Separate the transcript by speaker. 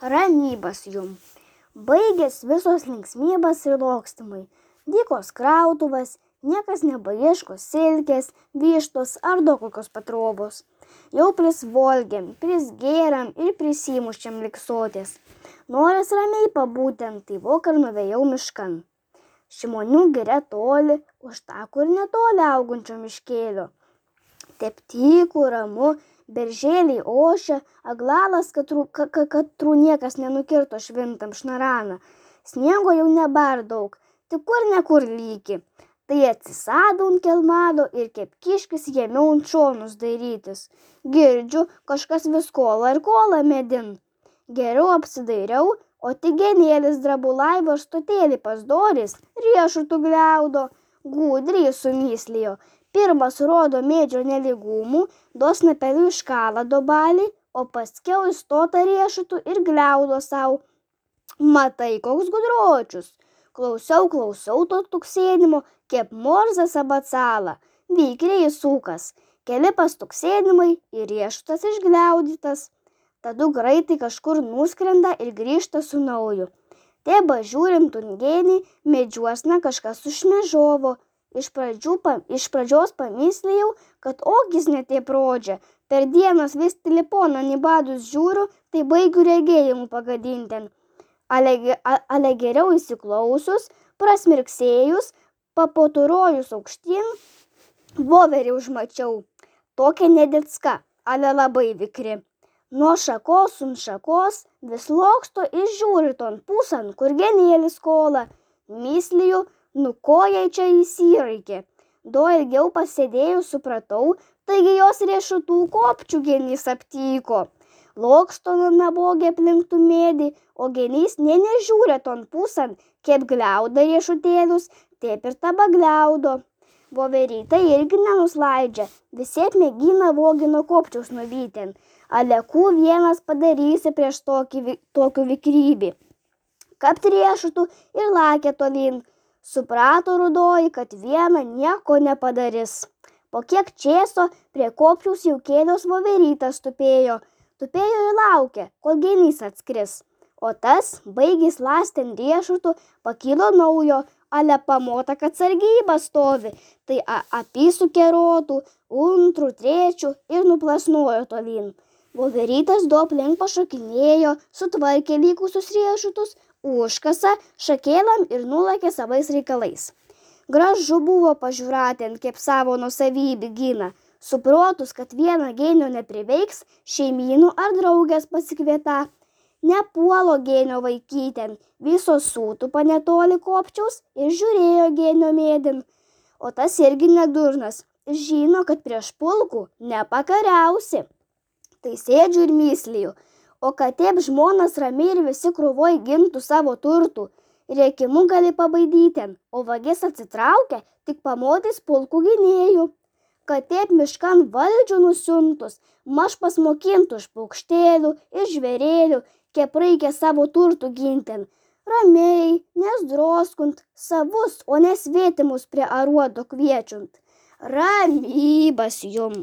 Speaker 1: Ramybas jum. Baigės visos linksmybės ir lokstimai. Dykos krautuvas, niekas nebeieško silkės, vištos ar daug kokios patrobos. Jau prisvolgėm, prisgėrėm ir prisimušėm liksotės. Noras ramiai pabūtent, tai vokar nuvėjau miškan. Šimonių giria toli, už takų ir netoli augančio miškėlio. Taip tyku, ramu, beržėliai ošia, aglalas katrų niekas nenukirto švintam šnaraną. Sniego jau nebar daug, tik kur nekur lyki. Tai atsisado ant kelmado ir kaip kiškis jėmiau ant šonus dairytis. Girdžiu, kažkas vis kola ir kola medin. Geriau apsidairiau, o tik genėlis drabulai varstotėlį pasdoris, riešutų gliaudo, gudriai sumyslijo. Pirmas rodo medžio nelygumų, dos napelių iškalą dobalį, o paskiau įstota riešutų ir gliaudo sau. Matai, koks gudročius. Klausiau to tuksėdimo, kaip morzas abacalą. Vykriai įsūkas. Keli pastuksėdimai ir riešutas išgliaudytas. Tadu greitai kažkur nuskrenda ir grįžta su nauju. Teba žiūrint ungenį, medžiuosna kažkas užšmežovo. Iš pradžios pamyslėjau, kad ogis netiep rodžia. Per dienas vis telefoną nibadus žiūriu, tai baigiu regėjimų pagadinten. Ale geriau įsiklausus, prasmirksėjus, papoturojus aukštyn, voverį užmačiau. Tokia nedėcka, ale labai vikri. Nuo šakos ant šakos vis loksto ir žiūri ton pusan, kur genėlis kola. Mysliju, nu ko jai čia įsiraikė. Do ilgiau pasėdėjus supratau, taigi jos riešutų kopčių genys aptyko. Loksto nabogė aplinktų medį, o genys nežiūrė ton pusan, kaip gliauda riešutėlius, taip ir taba gliaudo. Voverytė irgi nenuslaidžia, visiep mėgina vogino kopčiaus nuvyten. Alekų vienas padarysi prieš tokių vikrybį. Kapt riešutų ir lakė tolyn. Suprato rudoji, kad viena nieko nepadarys. Po kiek čėso prie kopčiaus jau kėlios voverytas tupėjo. Tupėjo ir laukė, kol genys atskris. O tas, baigęs ląstent riešutų, pakilo naujo, ale pamota, kad sargyba stovi. Tai apysukė rotų, antrų, trečių ir nuplasnojo tolyn. Voverytas du aplink pašokinėjo, sutvarkė likusius riešutus, užkasa šakėlam ir nulakė savais reikalais. Gražu buvo pažiūrėti, kaip savo nuosavybę gina. Suprotus, kad vieną genio nepriveiks, šeimynų ar draugės pasikvieta. Nepuolo genio vaikyten, visos sūtų panetoli kopčiaus ir žiūrėjo genio mėdin. O tas irgi nedurnas, žino, kad prieš pulkų nepakariausi. Tai sėdžiu ir mysliju. O kad taip žmonas ramiai ir visi krūvoj gintų savo turtų, rėkimu gali pabaidyten, o vagis atsitraukia, tik pamodys pulkų gynėjų. Kad taip miškan valdžių nusiuntus, maž pasmokintų iš paukštėlių, iš žvėrėlių, kiek reikia savo turtų ginten. Ramiai, nesdroskunt, savus, o nesvetimus prie aruodo kviečiant. Ramybas jum.